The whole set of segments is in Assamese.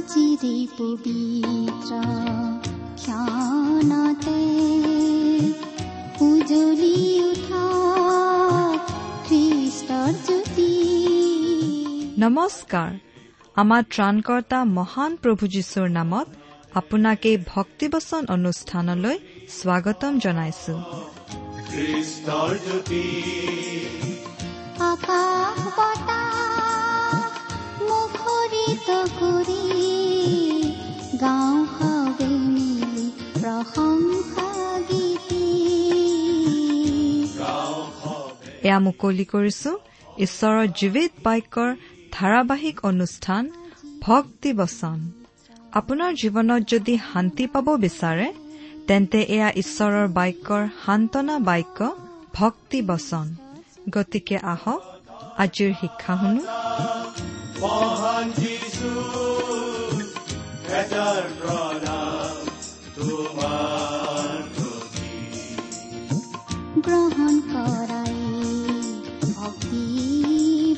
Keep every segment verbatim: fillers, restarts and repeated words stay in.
আজিৰে পবিত্ৰ ক্ষণতে উজ্বলি উঠা খ্ৰীষ্টৰ জ্যোতি। নমস্কাৰ। আমাৰ ত্ৰাণকৰ্তা মহান প্ৰভু যীশুৰ নামত আপোনাক এই ভক্তিবচন অনুষ্ঠানলৈ স্বাগতম জনাইছো। খ্ৰীষ্টৰ জ্যোতি আকাশ বতাহ মুখৰিত কৰি গাওঁ সবে মিলি প্ৰশংসা গীতি। এয়া মুকলি কৰিছো ঈশ্বৰৰ জীৱিত বাক্যৰ ধাৰাবাহিক অনুষ্ঠান ভক্তিবচন। আপোনাৰ জীৱনত যদি শান্তি পাব বিচাৰে তেন্তে এয়া ঈশ্বৰৰ বাক্যৰ সান্তনা বাক্য ভক্তিবচন। গতিকে আহক আজিৰ শিক্ষা শুনো। মহান যীশু এটাৰ প্ৰণাম তোমাৰ প্ৰতি। গ্ৰহণ কৰাই ভক্তি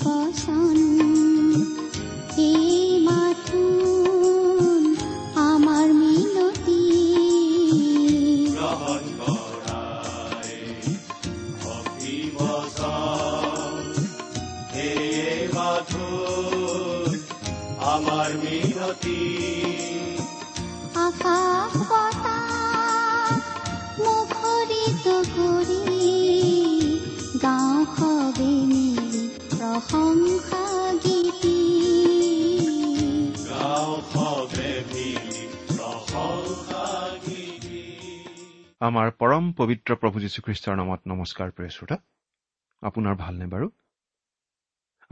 বচন এই মাথোন আমাৰ মিনতি। গ্ৰহণ কৰাই ভক্তি বচন এই মাথোন আমাৰ মিনতি। আকাশ বতাহ মুখৰিত কৰি গাওঁ সবে মিলি প্ৰশংসা গীতি। গাওঁ সবে মিলি প্ৰশংসা গীতি। আমাৰ পৰম পবিত্ৰ প্ৰভু যীশুখ্ৰীষ্টৰ নামত নমস্কাৰ প্ৰিয় শ্ৰোতা, আপোনাৰ ভালনে বাৰু?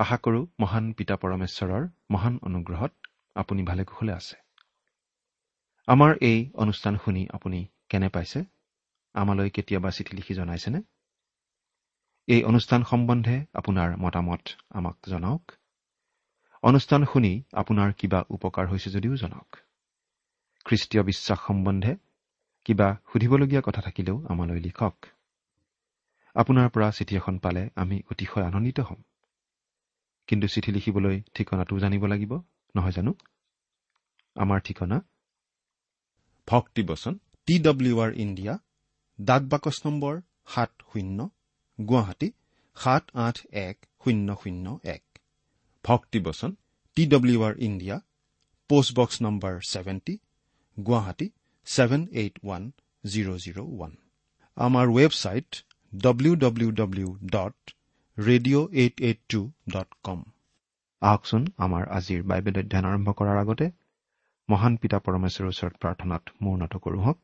আশা কৰোঁ মহান পিতা পৰমেশ্বৰৰ মহান অনুগ্ৰহত আপুনি ভালে কুশলে আছে। আমাৰ এই অনুষ্ঠান শুনি আপুনি কেনে পাইছে? আমালৈ কেতিয়াবা চিঠি লিখি জনাইছেনে? এই অনুষ্ঠান সম্বন্ধে আপোনাৰ মতামত আমাক জনাওক। অনুষ্ঠান শুনি আপোনাৰ কিবা উপকাৰ হৈছে যদিও জনাওক। খ্ৰীষ্টীয় বিশ্বাস সম্বন্ধে কিবা সুধিবলগীয়া কথা থাকিলেও আমালৈ লিখক। আপোনাৰ পৰা চিঠি এখন পালে আমি অতিশয় আনন্দিত হ'ম। কিন্তু চিঠি লিখিবলৈ ঠিকনাটো জানিব লাগিব নহয় জানো? আমাৰ ঠিকনা ভক্তিবচন টি ডব্লিউ আৰ ইণ্ডিয়া, ডাক বাকচ নম্বৰ সাত শূন্য, গুৱাহাটী সাত আঠ এক শূন্য শূন্য এক। ভক্তিবচন T W R India, post box number seventy, Guwahati seven eight one zero zero one. আমাৰ website W W W dot radio eight eight two dot com. আহকচোন আমাৰ আজিৰ বাইবেল অধ্যয়ন আৰম্ভ কৰাৰ আগতে মহান পিতা পৰমেশ্বৰৰ ওচৰত প্ৰাৰ্থনাত মূৰ নত কৰোঁ হওক।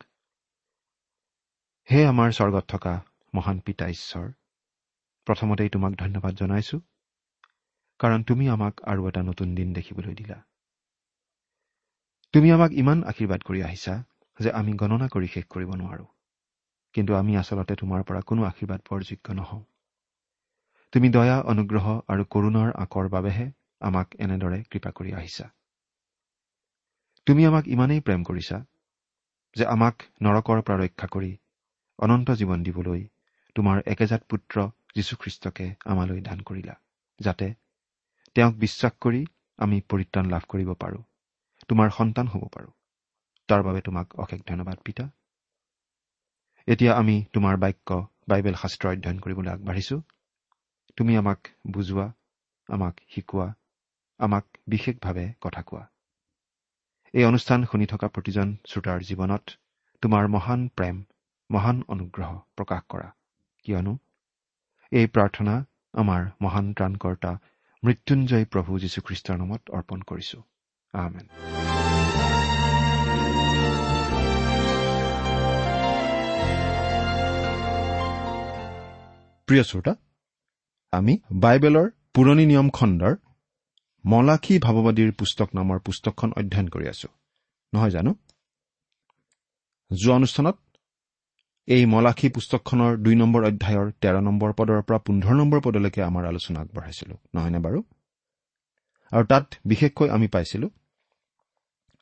হে আমাৰ স্বৰ্গত থকা মহান পিতা ঈশ্বৰ, প্ৰথমতেই তোমাক ধন্যবাদ জনাইছো, কাৰণ তুমি আমাক আৰু এটা নতুন দিন দেখিবলৈ দিলা। তুমি আমাক ইমান আশীৰ্বাদ কৰি আহিছা যে আমি গণনা কৰি শেষ কৰিব নোৱাৰো। কিন্তু আমি আচলতে তোমাৰ পৰা কোনো আশীৰ্বাদ পোৱাৰ যোগ্য নহওঁ। তুমি দয়া, অনুগ্ৰহ আৰু কৰুণাৰ আঁকৰ বাবেহে আমাক এনেদৰে কৃপা কৰি আহিছা। তুমি আমাক ইমানেই প্ৰেম কৰিছা যে আমাক নৰকৰ পৰা ৰক্ষা কৰি অনন্ত জীৱন দিবলৈ তোমাৰ একেজাত পুত্ৰ যীশুখ্ৰীষ্টকে আমালৈ দান কৰিলা, যাতে তেওঁক বিশ্বাস কৰি আমি পৰিত্ৰাণ লাভ কৰিব পাৰোঁ, তোমাৰ সন্তান হ'ব পাৰোঁ। তাৰ বাবে তোমাক অশেষ ধন্যবাদ পিতা। এতিয়া আমি তোমাৰ বাক্য বাইবেল শাস্ত্ৰ অধ্যয়ন কৰিবলৈ আগবাঢ়িছোঁ। তুমি আমাক বুজোৱা, আমাক শিকোৱা, আমাক বিশেষভাৱে কথা কোৱা। এই অনুষ্ঠান শুনি থকা প্ৰতিজন শ্ৰোতাৰ জীৱনত তোমাৰ মহান প্ৰেম, মহান অনুগ্ৰহ প্ৰকাশ কৰা, কিয়নো এই প্ৰাৰ্থনা আমাৰ মহান ত্ৰাণকৰ্তা মৃত্যুঞ্জয় প্ৰভু যীশুখ্ৰীষ্টৰ নামত অৰ্পণ কৰিছো। আমেন। প্ৰিয় শ্ৰোতা, আমি বাইবেলৰ পুৰণি নিয়ম খণ্ডৰ মলাখী ভাৱবাদীৰ পুস্তক নামৰ পুস্তকখন অধ্যয়ন কৰি আছো, নহয় জানো? যোৱা অনুষ্ঠানত এই মলাখী পুস্তকখনৰ দুই নম্বৰ অধ্যায়ৰ তেৰ নম্বৰ পদৰ পৰা পোন্ধৰ নম্বৰ পদলৈকে আমাৰ আলোচনা আগবঢ়াইছিলো, নহয়নে বাৰু? আৰু তাত বিশেষকৈ আমি পাইছিলো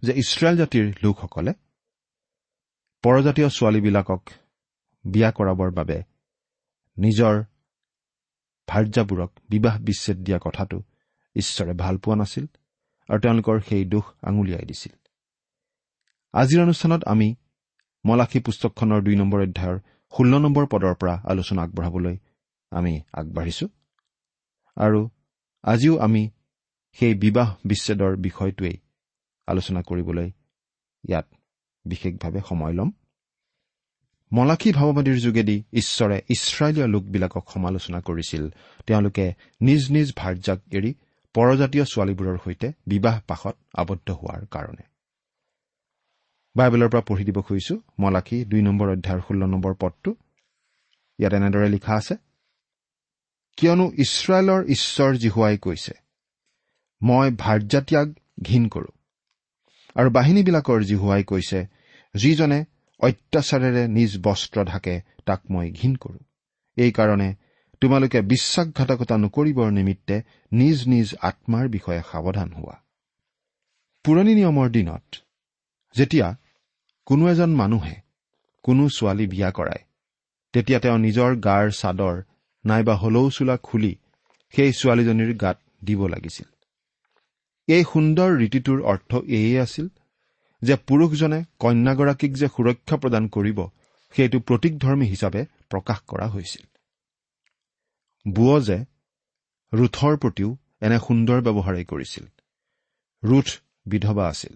যে ইছৰাইল জাতিৰ লোকসকলে পৰজাতীয় ছোৱালীবিলাকক বিয়া কৰাবৰ বাবে নিজৰ ভাৰ্যাবোৰক বিবাহ বিচ্ছেদ দিয়া কথাটো ঈশ্বৰে ভাল পোৱা নাছিল আৰু তেওঁলোকৰ সেই দোষ আঙুলিয়াই দিছিল। আজিৰ অনুষ্ঠানত আমি মলাখী পুস্তকখনৰ দুই নম্বৰ অধ্যায়ৰ ষোল্ল নম্বৰ পদৰ পৰা আলোচনা আগবঢ়াবলৈ আমি আগবাঢ়িছো আৰু আজিও আমি সেই বিবাহ বিচ্ছেদৰ বিষয়টোৱেই আলোচনা কৰিবলৈ ইয়াত বিশেষভাৱে সময় ল'ম। মলাখী ভাৱবাদীৰ যোগেদি ঈশ্বৰে ইছৰাইলীয় লোকবিলাকক সমালোচনা কৰিছিল। তেওঁলোকে নিজ নিজ ভাৰ্যাক এৰি পৰজাতীয় ছোৱালীবোৰৰ সৈতে বিবাহ পাশত আবদ্ধ হোৱাৰ কাৰণে। বাইবেলৰ পৰা পঢ়ি দিব খুজিছো মলাখী দুই নম্বৰ অধ্যায়ৰ ষোল্ল নম্বৰ পদটো। ইয়াত এনেদৰে লিখা আছে, কিয়নো ইছৰাইলৰ ঈশ্বৰ যিহোৱাই কৈছে, মই ভাৰ্যাত্যাগ ঘিণ কৰো, আৰু বাহিনীবিলাকৰ যিহোৱাই কৈছে, যিজনে অত্যাচাৰেৰে নিজ বস্ত্ৰ ঢাকে তাক মই ঘিণ কৰো। এইকাৰণে তোমালোকে বিশ্বাসঘাতকতা নকৰিবৰ নিমিত্তে নিজ নিজ আত্মাৰ বিষয়ে সাৱধান হোৱা। পুৰণি নিয়মৰ দিনত যেতিয়া কোনো এজন মানুহে কোনো ছোৱালী বিয়া কৰায়, তেতিয়া তেওঁ নিজৰ গাৰ চাদৰ নাইবা হলৌ চোলা খুলি সেই ছোৱালীজনীৰ গাত দিব লাগিছিল। এই সুন্দৰ ৰীতিটোৰ অৰ্থ এয়ে আছিল যে পুৰুষজনে কন্যাগৰাকীক যে সুৰক্ষা প্ৰদান কৰিব, সেইটো প্ৰতীকধৰ্মী হিচাপে প্ৰকাশ কৰা হৈছিল। বোৱজে ৰুথৰ প্ৰতিও এনে সুন্দৰ ব্যৱহাৰেই কৰিছিল। ৰুথ বিধৱা আছিল,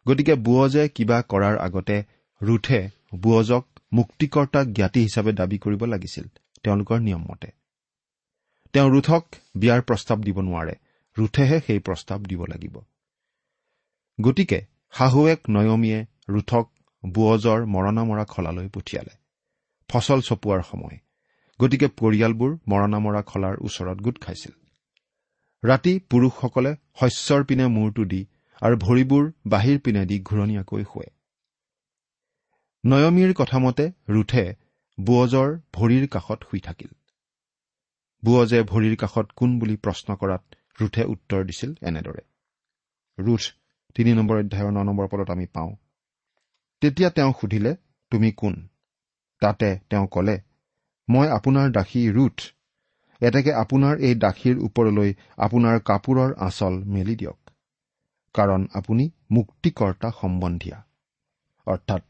গতিকে বোৱজে কিবা কৰাৰ আগতে ৰুথে বোৱজক মুক্তিকৰ্তা জ্ঞাতি হিচাপে দাবী কৰিব লাগিছিল। তেওঁলোকৰ নিয়মমতে তেওঁ ৰুথক বিয়াৰ প্ৰস্তাৱ দিব নোৱাৰে, ৰুথেহে সেই প্ৰস্তাৱ দিব লাগিব। গতিকে শাহুৱেক নয়মীয়ে ৰুথক বোৱজৰ মৰণা মৰা খলালৈ পঠিয়ালে। ফচল চপোৱাৰ সময়, গতিকে পৰিয়ালবোৰ মৰণা মৰা খলাৰ ওচৰত গোট খাইছিল। ৰাতি পুৰুষসকলে শস্যৰ পিনে মূৰটো দি আৰু ভৰিবোৰ বাহিৰ পিনে দি ঘূৰণীয়াকৈ শোৱে। নয়মীৰ কথামতে ৰুথে বোৱজৰ ভৰিৰ কাষত শুই থাকিল। বোৱজে ভৰিৰ কাষত কোন বুলি প্ৰশ্ন কৰাত ৰুথে উত্তৰ দিছিল এনেদৰে। ৰুথ তিনি নম্বৰ অধ্যায়ৰ ন নম্বৰ পদত আমি পাওঁ, তেতিয়া তেওঁ সুধিলে, তুমি কোন? তাতে তেওঁ কলে, মই আপোনাৰ দাসী ৰুথ। এতেকে আপোনাৰ এই দাসীৰ ওপৰলৈ আপোনাৰ কাপোৰৰ আঁচল মেলি দিয়ক, কাৰণ আপুনি মুক্তিকৰ্তা সম্বন্ধীয়া। অৰ্থাৎ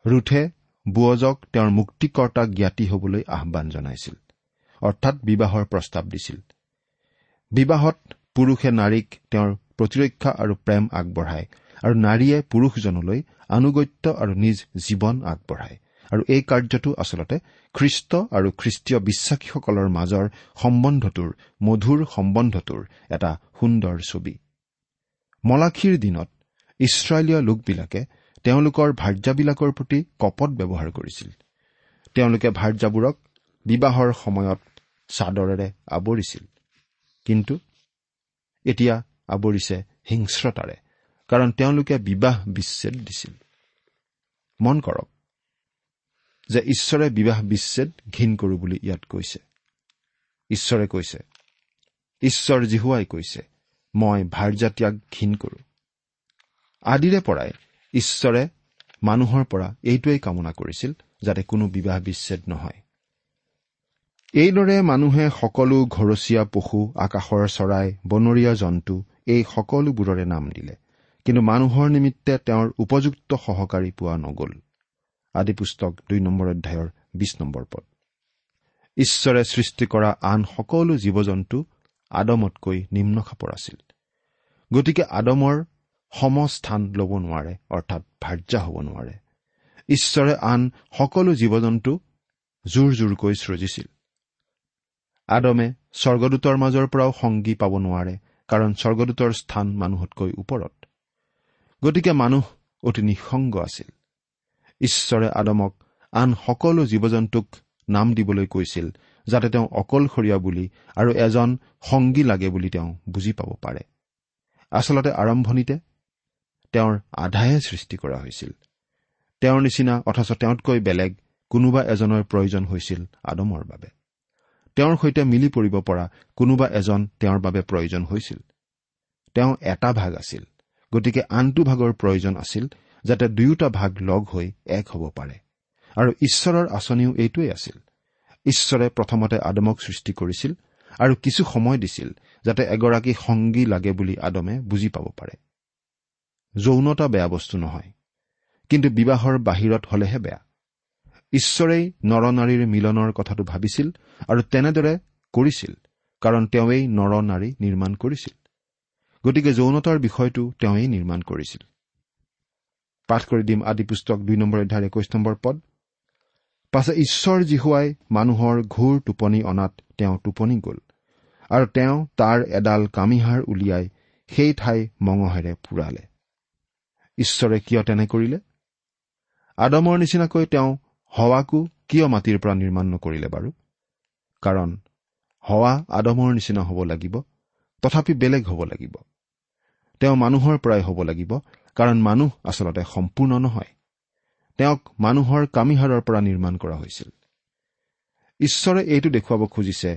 ৰুথে বোৱজক তেওঁৰ মুক্তিকৰ্তা জ্ঞাতি হবলৈ আহ্বান জনাইছিল, অৰ্থাৎ বিবাহৰ প্ৰস্তাৱ দিছিল। বিবাহত পুৰুষে নাৰীক তেওঁৰ প্ৰতিৰক্ষা আৰু প্ৰেম আগবঢ়ায় আৰু নাৰীয়ে পুৰুষজনলৈ আনুগত্য আৰু নিজ জীৱন আগবঢ়ায়। আৰু এই কাৰ্যটো আচলতে খ্ৰীষ্ট আৰু খ্ৰীষ্টীয় বিশ্বাসীসকলৰ মাজৰ সম্বন্ধটোৰ, মধুৰ সম্বন্ধটোৰ এটা সুন্দৰ ছবি। মলাখীৰ দিনত ইছৰাইলীয় লোকবিলাকে তেওঁলোকৰ ভাৰ্যাবিলাকৰ প্ৰতি কপট ব্যৱহাৰ কৰিছিল। তেওঁলোকে ভাৰ্যাবোৰক বিবাহৰ সময়ত চাদৰেৰে আৱৰিছিল, কিন্তু এতিয়া আৱৰিছে হিংস্ৰতাৰে, কাৰণ তেওঁলোকে বিবাহ বিচ্ছেদ দিছিল। মন কৰক যে ঈশ্বৰে বিবাহ বিচ্ছেদ ঘিণ কৰো বুলি ইয়াত কৈছে। ঈশ্বৰে কৈছে, ঈশ্বৰ যিহোৱাই কৈছে, মই ভাৰ্যাত্যাগ ঘিণ কৰো। আদিৰে পৰাই ঈশ্বৰে মানুহৰ পৰা এইটোৱেই কামনা কৰিছিল যাতে কোনো বিবাহ বিচ্ছেদ নহয়। এইদৰে মানুহে সকলো ঘৰচীয়া পশু, আকাশৰ চৰাই, বনৰীয়া জন্তু এই সকলোবোৰৰে নাম দিলে, কিন্তু মানুহৰ নিমিত্তে তেওঁৰ উপযুক্ত সহকাৰী পোৱা নগ'ল। আদি পুস্তক দুই নম্বৰ অধ্যায়ৰ বিশ নম্বৰ পদ। ঈশ্বৰে সৃষ্টি কৰা আন সকলো জীৱ জন্তু আদমতকৈ নিম্নখাপৰ আছিল, গতিকে আদমৰ সমস্থান ল'ব নোৱাৰে, অৰ্থাৎ ভাৰ্যা হ'ব নোৱাৰে। ঈশ্বৰে আন সকলো জীৱ জন্তু জোৰ জোৰকৈ সৃজিছিল। আদমে স্বৰ্গদূতৰ মাজৰ পৰাও সংগী পাব নোৱাৰে, কাৰণ স্বৰ্গদূতৰ স্থান মানুহতকৈ ওপৰত। গতিকে মানুহ অতি নিঃসংগ আছিল। ঈশ্বৰে আদমক আন সকলো জীৱ জন্তুক নাম দিবলৈ কৈছিল, যাতে তেওঁ অকলশৰীয়া বুলি আৰু এজন সংগী লাগে বুলি তেওঁ বুজি পাব পাৰে। আচলতে আৰম্ভণিতে তেওঁৰ আধাহে সৃষ্টি কৰা হৈছিল। তেওঁৰ নিচিনা অথচ তেওঁতকৈ বেলেগ কোনোবা এজনৰ প্ৰয়োজন হৈছিল আদমৰ বাবে। তেওঁৰ সৈতে মিলি পৰিব পৰা কোনোবা এজন তেওঁৰ বাবে প্ৰয়োজন হৈছিল। তেওঁ এটা ভাগ আছিল, গতিকে আনটো ভাগৰ প্ৰয়োজন আছিল, যাতে দুয়োটা ভাগ লগ হৈ এক হ'ব পাৰে। আৰু ঈশ্বৰৰ আঁচনিও এইটোৱেই আছিল। ঈশ্বৰে প্ৰথমতে আদমক সৃষ্টি কৰিছিল আৰু কিছু সময় দিছিল যাতে এগৰাকী সংগী লাগে বুলি আদমে বুজি পাব পাৰে। যৌনতা বেয়া বস্তু নহয়, কিন্তু বিবাহৰ বাহিৰত হলেহে বেয়া। ঈশ্বৰেই নৰনাৰীৰ মিলনৰ কথাটো ভাবিছিল আৰু তেনেদৰে কৰিছিল, কাৰণ তেওঁৱেই নৰনাৰী নিৰ্মাণ কৰিছিল। গতিকে যৌনতাৰ বিষয়টো তেওঁৱেই নিৰ্মাণ কৰিছিল। পাঠ কৰি দিম আদি পুস্তক দুই নম্বৰ অধ্যায়ৰ একৈশ নম্বৰ পদ। পাছে ঈশ্বৰ যিহোৱাই মানুহৰ ঘোৰ টোপনি অনাত তেওঁ টোপনি গ'ল, আৰু তেওঁ তাৰ এডাল কামিহাড় উলিয়াই সেই ঠাই মঙহেৰে পুৰালে। ঈশ্বৰে কিয় তেনে কৰিলে? আদমৰ নিচিনাকৈ তেওঁ হৱাকো কিয় মাটিৰ পৰা নিৰ্মাণ নকৰিলে বাৰু? কাৰণ হৱা আদমৰ নিচিনা হ'ব লাগিব, তথাপি বেলেগ হ'ব লাগিব। তেওঁ মানুহৰ পৰাই হ'ব লাগিব, কাৰণ মানুহ আচলতে সম্পূৰ্ণ নহয়। তেওঁক মানুহৰ কামিহাড়ৰ পৰা নিৰ্মাণ কৰা হৈছিল। ঈশ্বৰে এইটো দেখুৱাব খুজিছে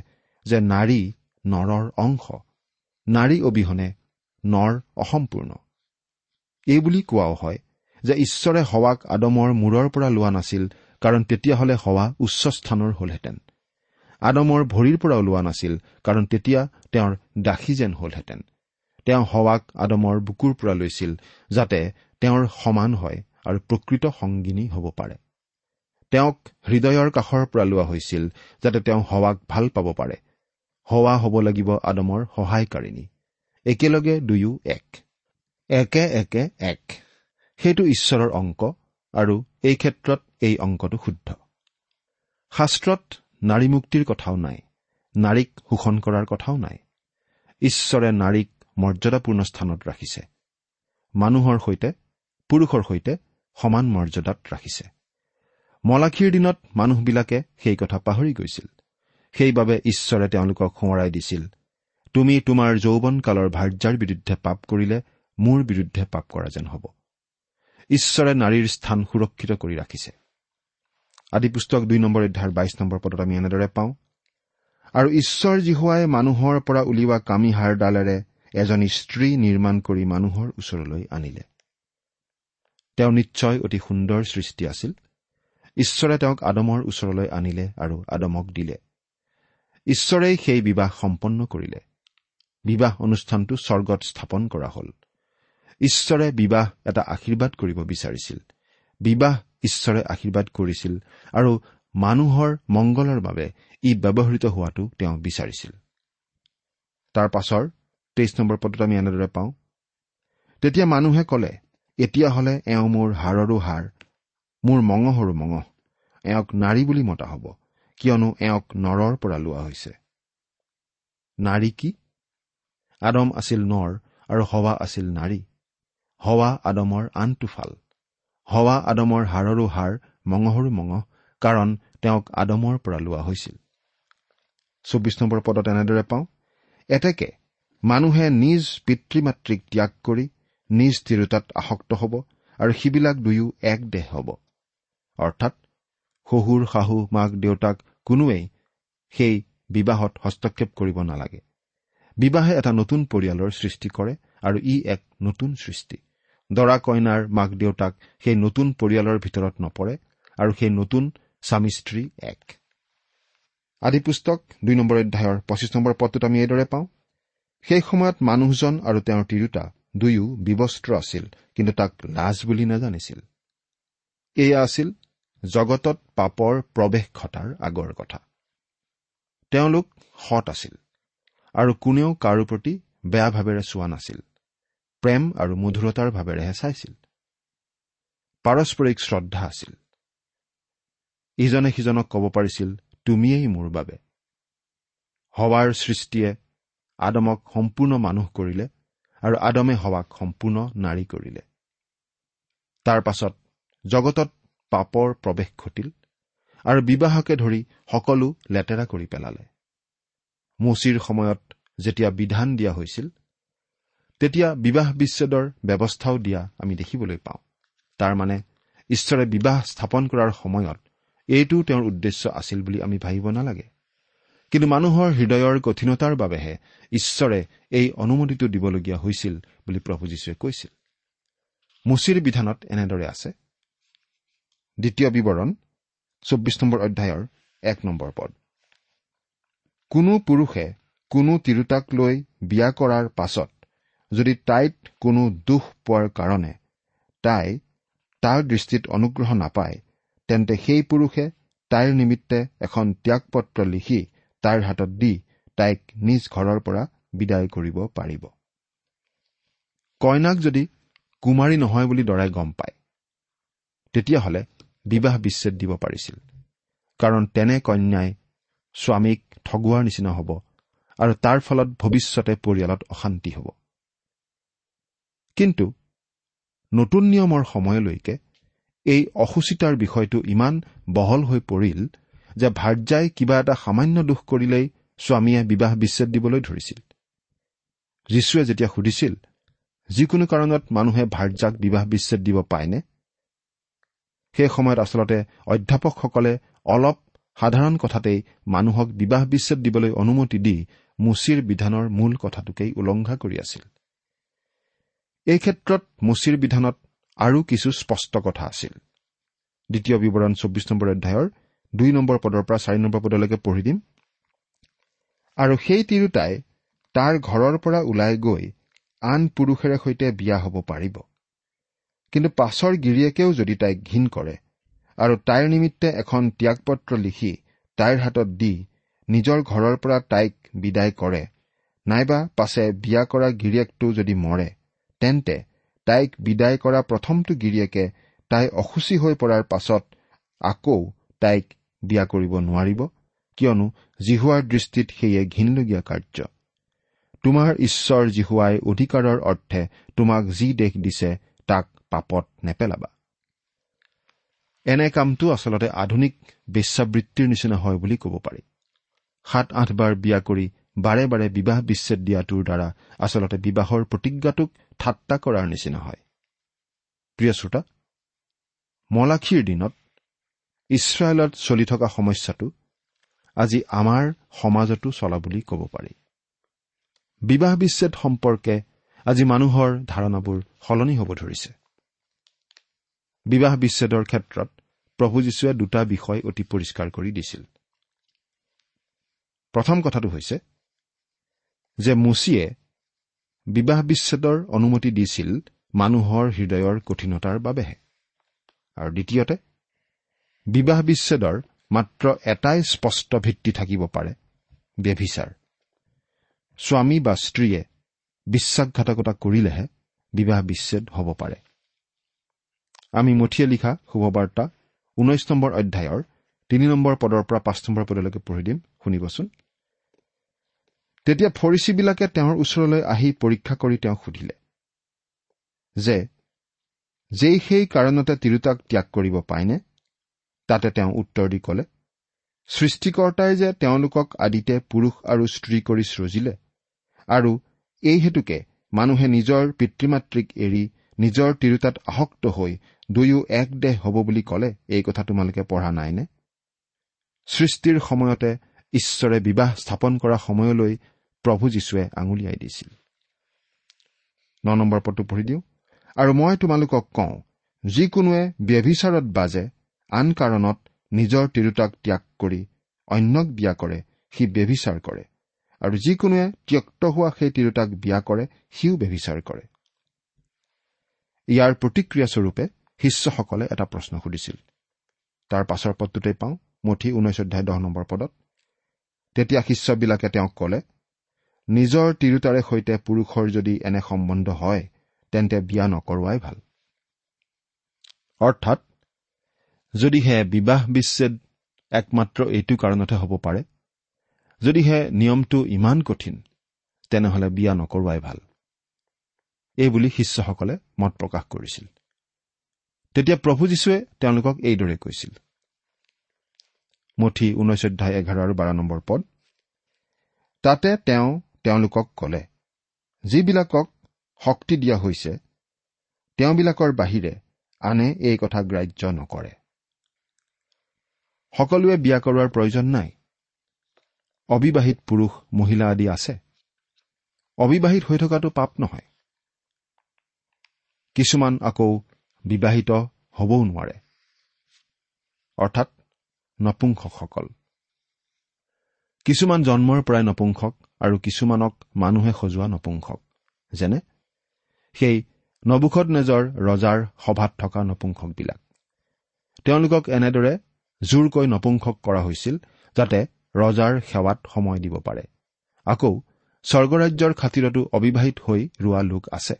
যে নাৰী নৰৰ অংশ, নাৰী অবিহনে নৰ অসম্পূৰ্ণ। এইবুলি কোৱাও হয় যে ঈশ্বৰে হৱাক আদমৰ মূৰৰ পৰা লোৱা নাছিল, কাৰণ তেতিয়াহ'লে হৱা উচ্চ স্থানৰ হলহেঁতেন। আদমৰ ভৰিৰ পৰাও লোৱা নাছিল, কাৰণ তেতিয়া তেওঁৰ দাসী যেন হলহেঁতেন। তেওঁ হৱাক আদমৰ বুকুৰ পৰা লৈছিল যাতে তেওঁৰ সমান হয় আৰু প্ৰকৃত সংগিনী হ'ব পাৰে। তেওঁক হৃদয়ৰ কাষৰ পৰা লোৱা হৈছিল যাতে তেওঁ হৱাক ভাল পাব পাৰে। হৱা হ'ব লাগিব আদমৰ সহায়কাৰিণী। একেলগে দুয়ো এক, একে একে এক। সেইটো ঈশ্বৰৰ অংক, আৰু এই ক্ষেত্ৰত এই অংকটো শুদ্ধ। শাস্ত্ৰত নাৰী মুক্তিৰ কথাও নাই, নাৰীক শোষণ কৰাৰ কথাও নাই। ঈশ্বৰে নাৰীক মৰ্যাদাপূৰ্ণ স্থানত ৰাখিছে, মানুহৰ সৈতে, পুৰুষৰ সৈতে সমান মৰ্যাদাত ৰাখিছে। মলাখীৰ দিনত মানুহবিলাকে সেই কথা পাহৰি গৈছিল। সেইবাবে ঈশ্বৰে তেওঁলোকক সোঁৱৰাই দিছিল, তুমি তোমাৰ যৌৱনকালৰ ভাৰ্যাৰ বিৰুদ্ধে পাপ কৰিলে মোৰ বিৰুদ্ধে পাপ কৰা যেন হ'ব। ঈশ্বৰে নাৰীৰ স্থান সুৰক্ষিত কৰি ৰাখিছে। আদি পুস্তক দুই নম্বৰ অধ্যায়ৰ বাইশ নম্বৰ পদত আমি এনেদৰে পাওঁ, আৰু ঈশ্বৰ যিহোৱাই মানুহৰ পৰা উলিওৱা কামিহাড়ডালেৰে এজনী স্ত্ৰী নিৰ্মাণ কৰি মানুহৰ ওচৰলৈ আনিলে। তেওঁ নিশ্চয় অতি সুন্দৰ সৃষ্টি আছিল। ঈশ্বৰে তেওঁক আদমৰ ওচৰলৈ আনিলে আৰু আদমক দিলে। ঈশ্বৰেই সেই বিবাহ সম্পন্ন কৰিলে। বিবাহ অনুষ্ঠানটো স্বৰ্গত স্থাপন কৰা হ'ল। ঈশ্বৰে বিবাহ এটা আশীৰ্বাদ কৰিব বিচাৰিছিল। বিবাহ ঈশ্বৰে আশীৰ্বাদ কৰিছিল আৰু মানুহৰ মংগলৰ বাবে ই ব্যৱহৃত হোৱাটো তেওঁ বিচাৰিছিল। তাৰ পাছৰ তেইছ নম্বৰ পদত আমি এনেদৰে পাওঁ, তেতিয়া মানুহে ক'লে, এতিয়াহ'লে এওঁ মোৰ হাড়ৰো হাড়, মোৰ মঙহৰো মঙহ, এওঁক নাৰী বুলি মতা হ'ব, কিয়নো এওঁক নৰৰ পৰা লোৱা হৈছে। নাৰী কি? আদম আছিল নৰ আৰু হৱা আছিল নাৰী। হৱা আদমৰ আনটো ফাল। হৱা আদমৰ হাড়ৰো হাড়, মঙহৰো মঙহ, কাৰণ তেওঁক আদমৰ পৰা লোৱা হৈছিল। চৌব্বিছ নম্বৰ পদত এনেদৰে পাওঁ, এতেকে মানুহে নিজ পিতৃ মাতৃক ত্যাগ কৰি নিজ তিৰোতাত আসক্ত হ'ব আৰু সিবিলাক দুয়ো এক দেহ হ'ব। অৰ্থাৎ শহুৰ শাহু মাক দেউতাক কোনোৱেই সেই বিবাহত হস্তক্ষেপ কৰিব নালাগে। বিবাহে এটা নতুন পৰিয়ালৰ সৃষ্টি কৰে আৰু ই এক নতুন সৃষ্টি। দৰা কইনাৰ মাক দেউতাক সেই নতুন পৰিয়ালৰ ভিতৰত নপৰে আৰু সেই নতুন স্বামী স্ত্ৰী এক। আদি পুস্তক দুই নম্বৰ অধ্যায়ৰ পঁচিছ নম্বৰ পদটোত আমি এইদৰে পাওঁ, সেই সময়ত মানুহজন আৰু তেওঁৰ তিৰোতা দুয়ো বিবস্ত্ৰ আছিল, কিন্তু তাক লাজ বুলি নাজানিছিল। এয়া আছিল জগতত পাপৰ প্ৰৱেশ ঘটাৰ আগৰ কথা। তেওঁলোক সৎ আছিল আৰু কোনেও কাৰো প্ৰতি বেয়া ভাৱেৰে চোৱা নাছিল, প্ৰেম আৰু মধুৰতাৰ ভাৱেৰেহে চাইছিল। পাৰস্পৰিক শ্ৰদ্ধা আছিল। ইজনে সিজনক ক'ব পাৰিছিল, তুমিয়েই মোৰ বাবে। হৱাৰ সৃষ্টিয়ে আদমক সম্পূৰ্ণ মানুহ কৰিলে আৰু আদমে হৱাক সম্পূৰ্ণ নাৰী কৰিলে। তাৰ পাছত জগতত পাপৰ প্ৰৱেশ ঘটিল আৰু বিবাহকে ধৰি সকলো লেতেৰা কৰি পেলালে। মোচিৰ সময়ত যেতিয়া বিধান দিয়া হৈছিল, তেতিয়া বিবাহ বিচ্ছেদৰ ব্যৱস্থাও দিয়া আমি দেখিবলৈ পাওঁ। তাৰমানে ঈশ্বৰে বিবাহ স্থাপন কৰাৰ সময়ত এইটোও তেওঁৰ উদ্দেশ্য আছিল বুলি আমি ভাবিব নালাগে। কিন্তু মানুহৰ হৃদয়ৰ কঠিনতাৰ বাবেহে ঈশ্বৰে এই অনুমতিটো দিবলগীয়া হৈছিল বুলি প্ৰভু যীশুৱে কৈছিল। মোচিৰ বিধানত এনেদৰে আছে। দ্বিতীয় বিৱৰণ চৌব্বিছ নম্বৰ অধ্যায়ৰ এক নম্বৰ পদ, কোনো পুৰুষে কোনো তিৰোতাক লৈ বিয়া কৰাৰ পাছত যদি তাইত কোনো দুখ পোৱাৰ কাৰণে তাই তাৰ দৃষ্টিত অনুগ্ৰহ নাপায়, তেন্তে সেই পুৰুষে তাইৰ নিমিত্তে এখন ত্যাগপত্ৰ লিখি তাইৰ হাতত দি তাইক নিজ ঘৰৰ পৰা বিদায় কৰিব পাৰিব। কইনাক যদি কুমাৰী নহয় বুলি দৰাই গম পায়, তেতিয়াহ'লে বিবাহ বিচ্ছেদ দিব পাৰিছিল, কাৰণ তেনে কন্যাই স্বামীক ঠগোৱাৰ নিচিনা হ'ব আৰু তাৰ ফলত ভৱিষ্যতে পৰিয়ালত অশান্তি হ'ব। কিন্তু নতুন নিয়মৰ সময়লৈকে এই অসুচিতাৰ বিষয়টো ইমান বহল হৈ পৰিল যে ভাৰ্যাই কিবা এটা সামান্য দোষ কৰিলেই স্বামীয়ে বিবাহ বিচ্ছেদ দিবলৈ ধৰিছিল। যীশুৱে যেতিয়া সুধিছিল, যিকোনো কাৰণত মানুহে ভাৰ্যাক বিবাহ বিচ্ছেদ দিব পায়নে, সেই সময়ত আচলতে অধ্যাপকসকলে অলপ সাধাৰণ কথাতেই মানুহক বিবাহ বিচ্ছেদ দিবলৈ অনুমতি দি মোচিৰ বিধানৰ মূল কথাটোকেই উলংঘা কৰি আছিল। এই ক্ষেত্ৰত মোচিৰ বিধানত আৰু কিছু স্পষ্ট কথা আছিল। দ্বিতীয় বিৱৰণ চৌব্বিছ নম্বৰ অধ্যায়ৰ দুই নম্বৰ পদৰ পৰা চাৰি নম্বৰ পদলৈকে পঢ়ি দিম। আৰু সেই তিৰোতাই তাৰ ঘৰৰ পৰা ওলাই গৈ আন পুৰুষেৰে সৈতে বিয়া হ'ব পাৰিব, কিন্তু পাছৰ গিৰিয়েকেও যদি তাইক ঘিণ কৰে আৰু তাইৰ নিমিত্তে এখন ত্যাগপত্ৰ লিখি তাইৰ হাতত দি নিজৰ ঘৰৰ পৰা তাইক বিদায় কৰে, নাইবা পাছে বিয়া কৰা গিৰিয়েকটো যদি মৰে, তেন্তে তাইক বিদায় কৰা প্ৰথমটো গিৰিয়েকে তাই অসুচী হৈ পৰাৰ পাছত আকৌ তাইক বিয়া কৰিব নোৱাৰিব, কিয়নো জিহোৱাৰ দৃষ্টিত সেয়ে ঘিণলগীয়া কাৰ্য। তোমাৰ ঈশ্বৰ জিহোৱাই অধিকাৰৰ অৰ্থে তোমাক যি দেশ দিছে তাক পাপত নেপেলাবা। এনে কামটো আচলতে আধুনিক বেশ্যাবৃত্তিৰ নিচিনা হয় বুলি ক'ব পাৰি। সাত আঠবাৰ বিয়া কৰি বাৰে বাৰে বিবাহ বিচ্ছেদ দিয়াটোৰ দ্বাৰা আচলতে বিবাহৰ প্ৰতিজ্ঞাটোক ঠাট্টা কৰাৰ নিচিনা হয়। প্ৰিয় শ্ৰোতা, মলাখীৰ দিনত ইছৰাইলত চলি থকা সমস্যাটো আজি আমাৰ সমাজতো চলা বুলি ক'ব পাৰি। বিবাহ বিচ্ছেদ সম্পৰ্কে আজি মানুহৰ ধাৰণাবোৰ সলনি হ'ব ধৰিছে। বিবাহ বিচ্ছেদৰ ক্ষেত্ৰত প্ৰভু যীশুৱে দুটা বিষয় অতি পৰিষ্কাৰ কৰি দিছিল। প্ৰথম কথাটো হৈছে যে মোচিয়ে বিবাহ বিচ্ছেদৰ অনুমতি দিছিল মানুহৰ হৃদয়ৰ কঠিনতাৰ বাবেহে, আৰু দ্বিতীয়তে বিবাহ বিচ্ছেদৰ মাত্ৰ এটাই স্পষ্ট ভিত্তি থাকিব পাৰে, ব্যভিচাৰ। স্বামী বা স্ত্ৰীয়ে বিশ্বাসঘাতকতা কৰিলেহে বিবাহ বিচ্ছেদ হ'ব পাৰে। আমি মথিয়ে লিখা শুভবাৰ্তা ঊনৈশ নম্বৰ অধ্যায়ৰ তিনি নম্বৰ পদৰ পৰা পাঁচ নম্বৰ পদলৈকে পঢ়ি দিম, শুনিবচোন। তেতিয়া ফৰিচীবিলাকে তেওঁৰ ওচৰলৈ আহি পৰীক্ষা কৰি তেওঁক সুধিলে যে যেই সেই কাৰণতে তিৰোতাক ত্যাগ কৰিব পায়নে? তাতে তেওঁ উত্তৰ দি ক'লে, সৃষ্টিকৰ্তাই যে তেওঁলোকক আদিতে পুৰুষ আৰু স্ত্ৰী কৰি সৃজিলে, আৰু এই হেতুকে মানুহে নিজৰ পিতৃ মাতৃক এৰি নিজৰ তিৰোতাত আসক্ত হৈ দুয়ো এক দেহ হ'ব বুলি ক'লে, এই কথা তোমালোকে পঢ়া নাইনে? সৃষ্টিৰ সময়তে ঈশ্বৰে বিবাহ স্থাপন কৰা সময়লৈ প্ৰভু যীশুৱে আঙুলিয়াই দিছিল। ন নম্বৰ পদটো পঢ়ি দিওঁ। আৰু মই তোমালোকক কওঁ, যিকোনোৱে ব্যভিচাৰত বাজে আন কাৰণত নিজৰ তিৰোতাক ত্যাগ কৰি অন্যক বিয়া কৰে, সি ব্যভিচাৰ কৰে, আৰু যিকোনোৱে ত্যক্ত হোৱা সেই তিৰোতাক বিয়া কৰে, সিও ব্যভিচাৰ কৰে। ইয়াৰ প্ৰতিক্ৰিয়াস্বৰূপে শিষ্যসকলে এটা প্ৰশ্ন সুধিছিল। তাৰ পাছৰ পদটোতেই পাওঁ, মথি ঊনৈশ অধ্যায় দহ নম্বৰ পদত, তেতিয়া শিষ্যবিলাকে তেওঁক ক'লে, নিজৰ তিৰোতাৰে সৈতে পুৰুষৰ যদি এনে সম্বন্ধ হয়, তেন্তে বিয়া নকৰোৱাই ভাল। অৰ্থাৎ যদিহে বিবাহ বিচ্ছেদ একমাত্ৰ এইটো কাৰণতহে হ'ব পাৰে, যদিহে নিয়মটো ইমান কঠিন, তেনেহ'লে বিয়া নকৰোৱাই ভাল, এইবুলি শিষ্যসকলে মত প্ৰকাশ কৰিছিল। তেতিয়া প্ৰভু যীশুৱে তেওঁলোকক এইদৰে কৈছিল। মথি ঊনৈশ অধ্যায় এঘাৰ আৰু বাৰ নম্বৰ পদ, তাতে তেওঁ তেওঁলোকক ক'লে, যিবিলাকক শক্তি দিয়া হৈছে তেওঁবিলাকৰ বাহিৰে আনে এই কথা গ্ৰাহ্য নকৰে। সকলোৱে বিয়া কৰোৱাৰ প্ৰয়োজন নাই। অবিবাহিত পুৰুষ মহিলা আদি আছে। অবিবাহিত হৈ থকাটো পাপ নহয়। কিছুমান আকৌ বিবাহিত হ'বও নোৱাৰে, অৰ্থাৎ নপুংসকসকল। কিছুমান জন্মৰ পৰাই নপুংসক আৰু কিছুমানক মানুহে সজোৱা নপুংসক, যেনে সেই নবূখদনেজৰ ৰজাৰ সভাত থকা নপুংসকবিলাক। তেওঁলোকক এনেদৰে জোৰকৈ নপুংসক কৰা হৈছিল যাতে ৰজাৰ সেৱাত সময় দিব পাৰে। আকৌ স্বৰ্গৰাজ্যৰ খাতিৰতো অবিবাহিত হৈ ৰোৱা লোক আছে।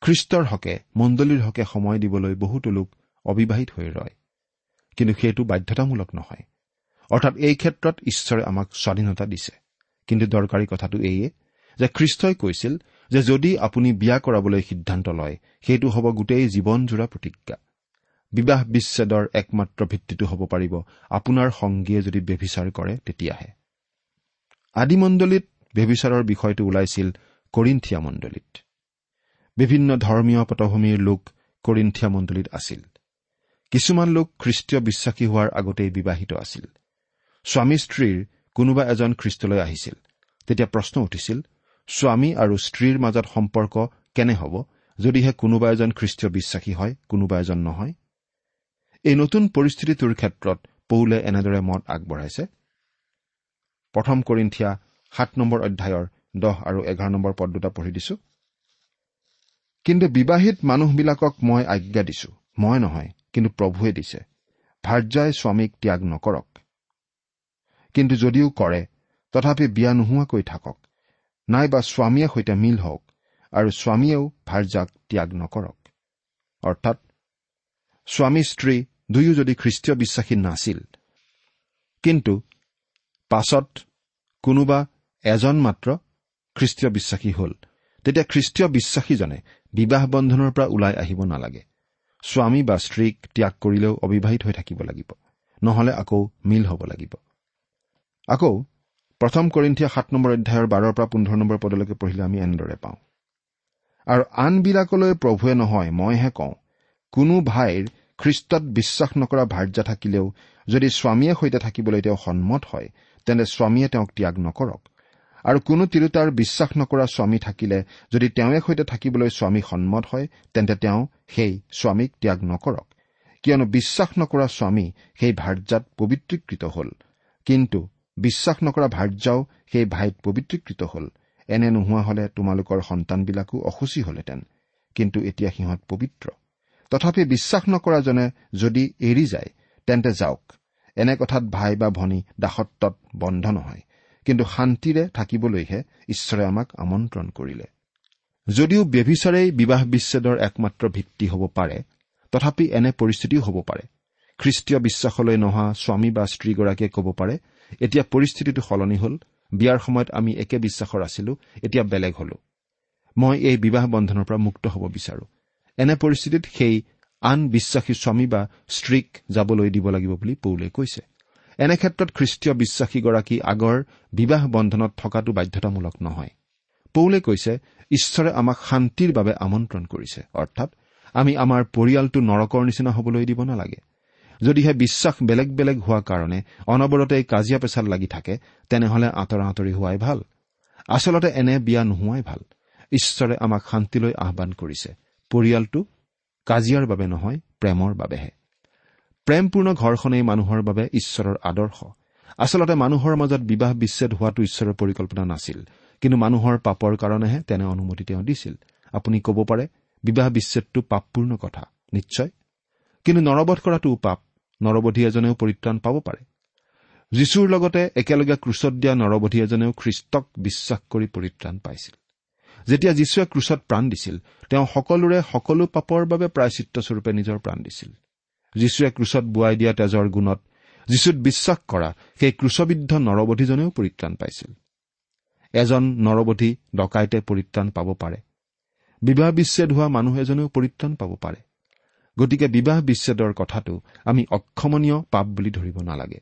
খ্ৰীষ্টৰ হকে, মণ্ডলীৰ হকে সময় দিবলৈ বহুতো লোক অবিবাহিত হৈ ৰয়, কিন্তু সেইটো বাধ্যতামূলক নহয়। অৰ্থাৎ এই ক্ষেত্ৰত ঈশ্বৰে আমাক স্বাধীনতা দিছে। কিন্তু দৰকাৰী কথাটো এইয়ে যে খ্ৰীষ্টই কৈছিল যে যদি আপুনি বিয়া কৰাবলৈ সিদ্ধান্ত লয়, সেইটো হ'ব গোটেই জীৱনজোৰা প্ৰতিজ্ঞা। বিবাহ বিচ্ছেদৰ একমাত্ৰ ভিত্তিটো হ'ব পাৰিব আপোনাৰ সংগীয়ে যদি ব্যভিচাৰ কৰে তেতিয়াহে। আদিমণ্ডলীত ব্যভিচাৰৰ বিষয়টো ওলাইছিল কৰিন্থিয়া মণ্ডলীত। বিভিন্ন ধৰ্মীয় পটভূমিৰ লোক কৰিন্থিয়া মণ্ডলীত আছিল। কিছুমান লোক খ্ৰীষ্টীয় বিশ্বাসী হোৱাৰ আগতেই বিবাহিত আছিল। স্বামী স্ত্ৰীৰ কোনোবা এজন খ্ৰীষ্টলৈ আহিছিল। তেতিয়া প্ৰশ্ন উঠিছিল, স্বামী আৰু স্ত্ৰীৰ মাজত সম্পৰ্ক কেনে হ'ব যদিহে কোনোবা এজন খ্ৰীষ্টীয় বিশ্বাসী হয়, কোনোবা এজন নহয়? এই নতুন পৰিস্থিতিটোৰ ক্ষেত্ৰত পৌলে এনেদৰে মত আগবঢ়াইছে। প্ৰথম কৰিন্থিয়া সাত নম্বৰ অধ্যায়ৰ দহ আৰু এঘাৰ নম্বৰ পদ দুটা পঢ়ি দিছো। কিন্তু বিবাহিত মানুহবিলাকক মই আজ্ঞা দিছো, মই নহয় কিন্তু প্ৰভুৱে দিছে, ভাৰ্যাই স্বামীক ত্যাগ নকৰক। কিন্তু যদিও কৰে তথাপি বিয়া নোহোৱাকৈ থাকক, নাইবা স্বামীয়ে সৈতে মিল হওক, আৰু স্বামীয়েও ভাৰ্যাক ত্যাগ নকৰক। অৰ্থাৎ স্বামী স্ত্ৰী দুয়ো যদি খ্ৰীষ্টীয় বিশ্বাসী নাছিল, কিন্তু পাছত কোনোবা এজন মাত্ৰ খ্ৰীষ্টীয় বিশ্বাসী হ'ল, তেতিয়া খ্ৰীষ্টীয় বিশ্বাসীজনে বিবাহ বন্ধনৰ পৰা ওলাই আহিব নালাগে। স্বামী বা স্ত্ৰীক ত্যাগ কৰিলেও অবিবাহিত হৈ থাকিব লাগিব, নহলে আকৌ মিল হ'ব লাগিব। আকৌ প্ৰথম কৰিন্থিয়া সাত নম্বৰ অধ্যায়ৰ বাৰৰ পৰা পোন্ধৰ নম্বৰ পদলৈকে পঢ়িলে আমি এনেদৰে পাওঁ, আৰু আনবিলাকলৈ প্ৰভুৱে নহয় মইহে কওঁ, কোনো ভাইৰ খ্ৰীষ্টত বিশ্বাস নকৰা ভাৰ্যা থাকিলেও যদি স্বামীয়ে সৈতে থাকিবলৈ তেওঁ সন্মত হয়, তেন্তে স্বামীয়ে তেওঁক ত্যাগ নকৰক। আৰু কোনো তিৰোতাৰ বিশ্বাস নকৰা স্বামী থাকিলে যদি তেওঁৱে সৈতে থাকিবলৈ স্বামী সন্মত হয়, তেন্তে তেওঁ সেই স্বামীক ত্যাগ নকৰক। কিয়নো বিশ্বাস নকৰা স্বামী সেই ভাৰ্যাত পবিত্ৰীকৃত হ'ল, কিন্তু বিশ্বাস নকৰা ভাৰ্যাও সেই ভাইত পবিত্ৰীকৃত হ'ল। এনে নোহোৱা হলে তোমালোকৰ সন্তানবিলাকো অসুচী হলহেঁতেন, কিন্তু এতিয়া সিহঁত পবিত্ৰ। তথাপি বিশ্বাস নকৰাজনে যদি এৰি যায় তেন্তে যাওক, এনে কথাত ভাই বা ভনী দাসত্বত বন্ধ নহয়, কিন্তু শান্তিৰে থাকিবলৈহে ঈশ্বৰে আমাক আমন্ত্ৰণ কৰিলে। যদিও ব্যভিচাৰেই বিবাহ বিচ্ছেদৰ একমাত্ৰ ভিত্তি হ'ব পাৰে, তথাপি এনে পৰিস্থিতিও হ'ব পাৰে। খ্ৰীষ্টীয় বিশ্বাসলৈ নহা স্বামী বা স্ত্ৰীগৰাকীয়ে ক'ব পাৰে, এতিয়া পৰিস্থিতিটো সলনি হ'ল, বিয়াৰ সময়ত আমি একে বিশ্বাসৰ আছিলো, এতিয়া বেলেগ হলো, মই এই বিবাহ বন্ধনৰ পৰা মুক্ত হ'ব বিচাৰো। এনে পৰিস্থিতিত সেই আন বিশ্বাসী স্বামী বা স্ত্ৰীক যাবলৈ দিব লাগিব বুলি পৌলে কৈছে। এনে ক্ষেত্ৰত খ্ৰীষ্টীয় বিশ্বাসীগৰাকী আগৰ বিবাহ বন্ধনত থকাটো বাধ্যতামূলক নহয়। পৌলে কৈছে, ঈশ্বৰে আমাক শান্তিৰ বাবে আমন্ত্ৰণ কৰিছে, অৰ্থাৎ আমি আমাৰ পৰিয়ালটো নৰকৰ নিচিনা হ'বলৈ দিব নালাগে। যদিহে বিশ্বাস বেলেগ বেলেগ হোৱাৰ কাৰণে অনবৰতে কাজিয়া পেচাল লাগি থাকে, তেনেহলে আঁতৰা আঁতৰি হোৱাই ভাল। আচলতে এনে বিয়া নোহোৱাই ভাল। ঈশ্বৰে আমাক শান্তিলৈ আহ্বান কৰিছে, পৰিয়ালটো কাজিয়াৰ বাবে নহয়, প্ৰেমৰ বাবেহে। প্ৰেমপূৰ্ণ ঘৰখনেই মানুহৰ বাবে ঈশ্বৰৰ আদৰ্শ। আচলতে মানুহৰ মাজত বিবাহ বিচ্ছেদ হোৱাটো ঈশ্বৰৰ পৰিকল্পনা নাছিল, কিন্তু মানুহৰ পাপৰ কাৰণেহে তেনে অনুমতি তেওঁ দিছিল। আপুনি ক'ব পাৰে বিবাহ বিচ্ছেদটো পাপপূৰ্ণ কথা, নিশ্চয়, কিন্তু নৰবধ কৰাটোও পাপ। নৰবধী এজনেও পৰিত্ৰাণ পাব পাৰে। যীশুৰ লগতে একেলগে ক্ৰুচত দিয়া নৰবধী এজনেও খ্ৰীষ্টক বিশ্বাস কৰি পৰিত্ৰাণ পাইছিল। যেতিয়া যীশুৱে ক্ৰুচত প্ৰাণ দিছিল, তেওঁ সকলোৰে সকলো পাপৰ বাবে প্ৰায়শ্চিত্তস্বৰূপে নিজৰ প্ৰাণ দিছিল। যীশুৱে ক্ৰুচত বোৱাই দিয়া তেজৰ গুণত যীশুত বিশ্বাস কৰা সেই ক্ৰুচবিদ্ধ নৰবধীজনেও পৰিত্ৰাণ পাইছিল। এজন নৰবধী ডকাইতে পৰিত্ৰাণ পাব পাৰে, বিবাহ বিচ্ছেদ হোৱা মানুহ এজনেও পৰিত্ৰাণ পাব পাৰে। গতিকে বিবাহ বিচ্ছেদৰ কথাটো আমি অক্ষমনীয় পাপ বুলি ধৰিব নালাগে।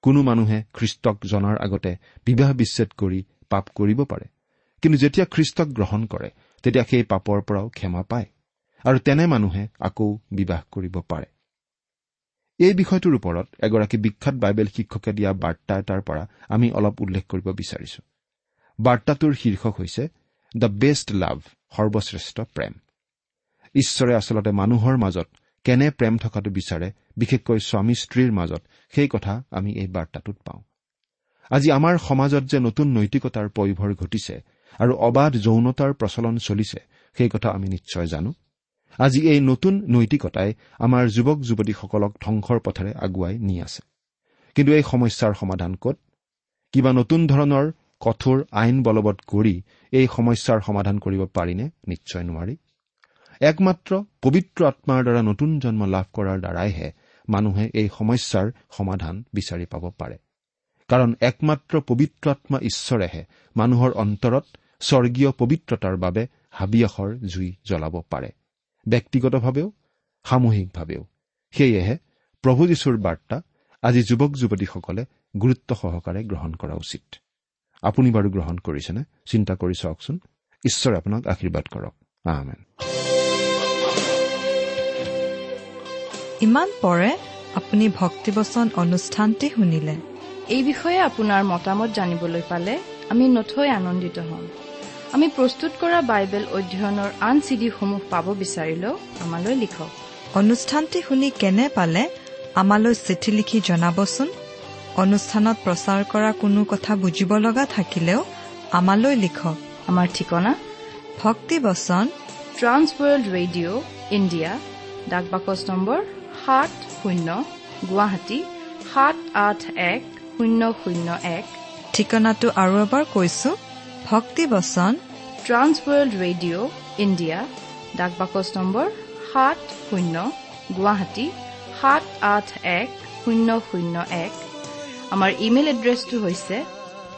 কোনো মানুহে খ্ৰীষ্টক জনাৰ আগতে বিবাহ বিচ্ছেদ কৰি পাপ কৰিব পাৰে, কিন্তু যেতিয়া খ্ৰীষ্টক গ্ৰহণ কৰে তেতিয়া সেই পাপৰ পৰাও ক্ষমা পায় আৰু তেনে মানুহে আকৌ বিবাহ কৰিব পাৰে। এই বিষয়টোৰ ওপৰত এগৰাকী বিখ্যাত বাইবেল শিক্ষকে দিয়া বাৰ্তা এটাৰ পৰা আমি অলপ উল্লেখ কৰিব বিচাৰিছো। বাৰ্তাটোৰ শীৰ্ষক হৈছে the best লাভ, সৰ্বশ্ৰেষ্ঠ প্ৰেম। ঈশ্বৰে আচলতে মানুহৰ মাজত কেনে প্ৰেম থকাটো বিচাৰে, বিশেষকৈ স্বামী স্ত্ৰীৰ মাজত, সেই কথা আমি এই বাৰ্তাটোত পাওঁ। আজি আমাৰ সমাজত যে নতুন নৈতিকতাৰ পয়োভৰ ঘটিছে আৰু অবাধ যৌনতাৰ প্ৰচলন চলিছে, সেই কথা আমি নিশ্চয় জানো। আজি এই নতুন নৈতিকতাই আমাৰ যুৱক যুৱতীসকলক ধ্বংসৰ পথেৰে আগুৱাই নি আছে। কিন্তু এই সমস্যাৰ সমাধান ক'ত? কিবা নতুন ধৰণৰ কঠোৰ আইন বলবৎ কৰি এই সমস্যাৰ সমাধান কৰিব পাৰিনে? নিশ্চয় নোৱাৰি। একমাত্ৰ পবিত্ৰ আত্মাৰ দ্বাৰা নতুন জন্ম লাভ কৰাৰ দ্বাৰাইহে মানুহে এই সমস্যাৰ সমাধান বিচাৰি পাব পাৰে। কাৰণ একমাত্ৰ পবিত্ৰ আত্মা ঈশ্বৰেহে মানুহৰ অন্তৰত স্বৰ্গীয় পবিত্ৰতাৰ বাবে হাবিয়াসৰ জুই জ্বলাব পাৰে, ব্যক্তিগতভাৱেও সামূহিকভাৱেও। সেয়েহে প্ৰভু যীশুৰ বাৰ্তা আজি যুৱক যুৱতীসকলে গুৰুত্ব সহকাৰে গ্ৰহণ কৰা উচিত। আপুনি বাৰু গ্ৰহণ কৰিছেনে? চিন্তা কৰি চাওকচোন। ঈশ্বৰে আপোনাক আশীৰ্বাদ কৰক। আমেন। ইমান পৰে আপুনি ভক্তিবচন অনুষ্ঠানটি শুনিলে। এই বিষয়ে আপোনাৰ মতামত জানিবলৈ পালে আমি নথৈ আনন্দিত হ'ম। আমি প্ৰস্তুত কৰা বাইবেল অধ্যয়নৰ আন চিডিসমূহ পাব বিচাৰিলেও আমালৈ লিখক। অনুষ্ঠানটি শুনি কেনে পালে আমালৈ চিঠি লিখি জনাবচোন। অনুষ্ঠানত প্ৰচাৰ কৰা কোনো কথা বুজিব লগা থাকিলেও আমালৈ লিখক। আমাৰ ঠিকনা ভক্তিবচন ট্ৰান্সৱৰ্ল্ড ৰেডিঅ' ইণ্ডিয়া, ডাক বাকচ নম্বৰ সাত শূন্য, গুৱাহাটী সাত আঠ এক শূন্য শূন্য এক। ঠিকনাটো আৰু এবাৰ কৈছো, ভক্তিবচন ট্ৰান্সৱৰ্ল্ড ৰেডিঅ' ইণ্ডিয়া, ডাক বাকচ নম্বৰ সাত শূন্য, গুৱাহাটী সাত আঠ এক শূন্য শূন্য এক। আমাৰ ইমেইল এড্ৰেছটো হৈছে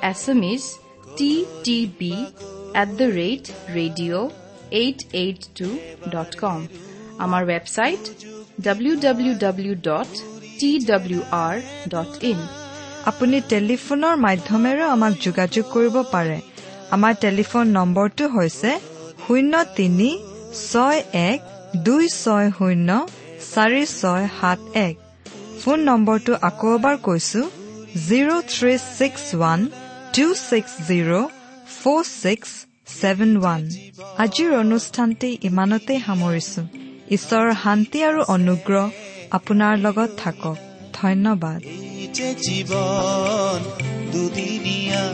Assamese T T B at the rate radio eight eight two dot com. আমাৰ website W W W dot T W R dot in. আপুনি টেলিফোনৰ মাধ্যমেৰেও আমাক যোগাযোগ কৰিব পাৰে। আমাৰ টেলিফোন নম্বৰটো হৈছে শূন্য তিনি ছয় এক দুই ছয় শূন্য চাৰি ছয় সাত এক। ফোন নম্বৰটো আকৌ এবাৰ কৈছো, zero three six one two six zero four six seven one. আজিৰ অনুষ্ঠানটি ইমানতেই সামৰিছো। ঈশ্বৰৰ শান্তি আৰু অনুগ্ৰহ আপোনাৰ লগত থাকক। ধন্যবাদ। জীৱন দুদিনীয়া,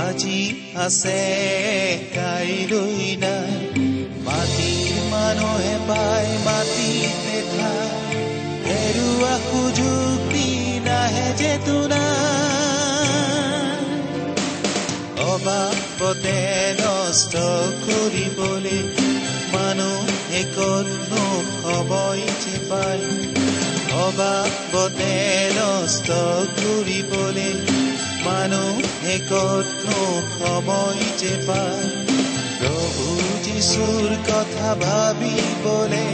আজি আছে কাইলৈ নাই। মাটিৰ মানুহে পায় মাটিতে খায়, হেৰুৱা সুযোগ নাহে যে তোনা। অবাবতে নষ্ট কৰিবলৈ মানুহে ক'তনো সময় যে পায়। অবাবতে নষ্ট কৰিবলৈ মানুহে ক'তনো সময় যে পায়। প্ৰভু যীশুৰ কথা ভাবিবলে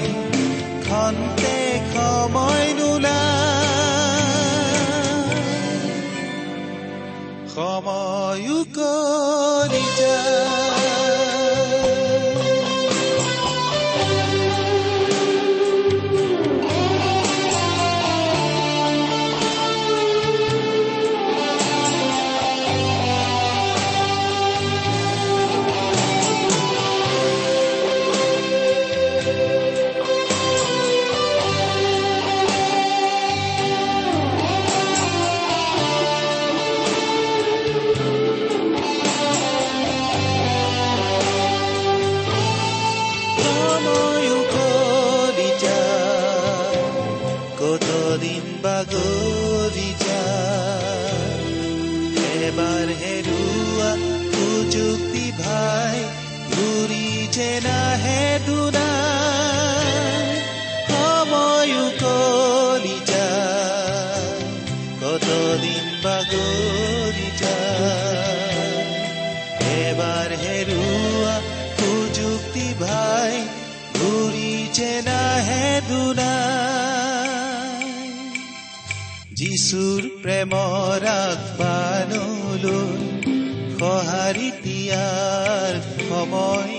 খন্তেক সময় নোলায়। সময় উকলি যায়। এবাৰ হেৰুৱা সুযুক্তি ভাই ঘূৰি যে নাহে দুনাই। সময় উকলি যায়, কতদিন বাগৰি যায়। এবাৰ হেৰুৱা সুযুক্তি ভাই ঘূৰি যে নাহে দুনাই। যীশুৰ প্ৰেমৰ আহ্বানলৈ সঁহাৰি দিয়াৰ সময়।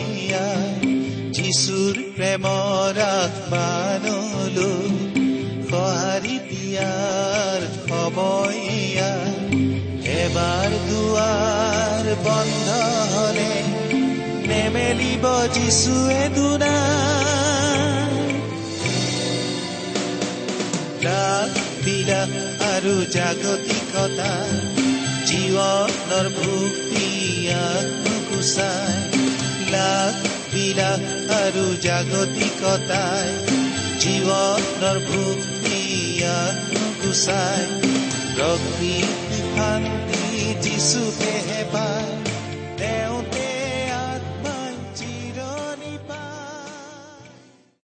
যীশুৰ প্ৰেমৰ আহ্বানলৈ সঁহাৰি দিয়াৰ সময়। এবাৰ দুৱাৰ বন্ধ হলে নেমেলিব যীশুৱে দুনাই। বিলাস আৰু জাগতিকতা জীৱনৰ ভুক-পিয়াহ নুগুচায়। লাখ বিলাস আৰু জাগতিকতাই জীৱনৰ ভুক-পিয়াহ নুগুচায়। প্ৰকৃতি শান্তি যীশুতে